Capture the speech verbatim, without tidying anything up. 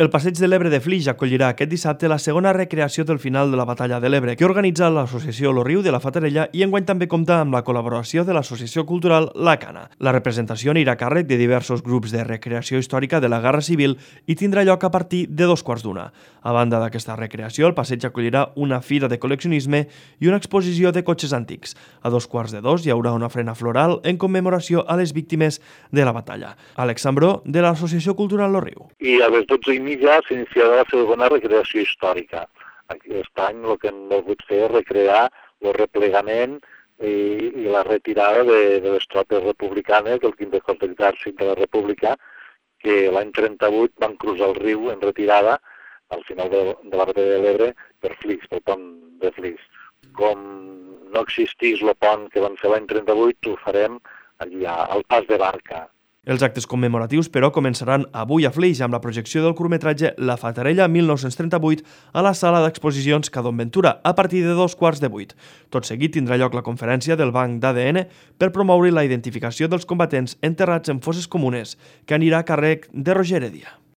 El Passeig de l'Ebre de Flix acollirà aquest dissabte la segona recreació del final de la Batalla de l'Ebre, que organitza l'associació Lo Riu de la Fatarella i enguany també compta amb la col·laboració de l'associació cultural La Cana. La representació anirà a càrrec de diversos grups de recreació històrica de la Guerra Civil i tindrà lloc a partir de dos quarts d'una. A banda d'aquesta recreació, el passeig acollirà una fira de col·leccionisme i una exposició de cotxes antics. A dos quarts de dos hi haurà una ofrena floral en commemoració a les víctimes de la batalla. Àlex Sambró, de l'associació cultural Lo Riu. I a les dotze i mitja s'iniciarà la segona recreació històrica. Aquest any el que hem volgut fer és recrear el replegament i, i la retirada de, de les tropes republicanes del quinze cos d'exèrcit de la República, que l'any trenta-vuit van cruzar el riu en retirada al final de, de la batalla de l'Ebre per Flix, pel pont de Flix. Com no existís el pont que van fer l'any trenta-vuit, ho farem allà, al Pas de Barca. Els actes commemoratius, però, començaran avui a Flix amb la projecció del curtmetratge La Fatarella mil nou-cents trenta-vuit a la sala d'exposicions Cadon Ventura a partir de dos quarts de vuit. Tot seguit tindrà lloc la conferència del Banc d'A D N per promoure la identificació dels combatents enterrats en fosses comunes, que anirà a càrrec de Roger Heredia.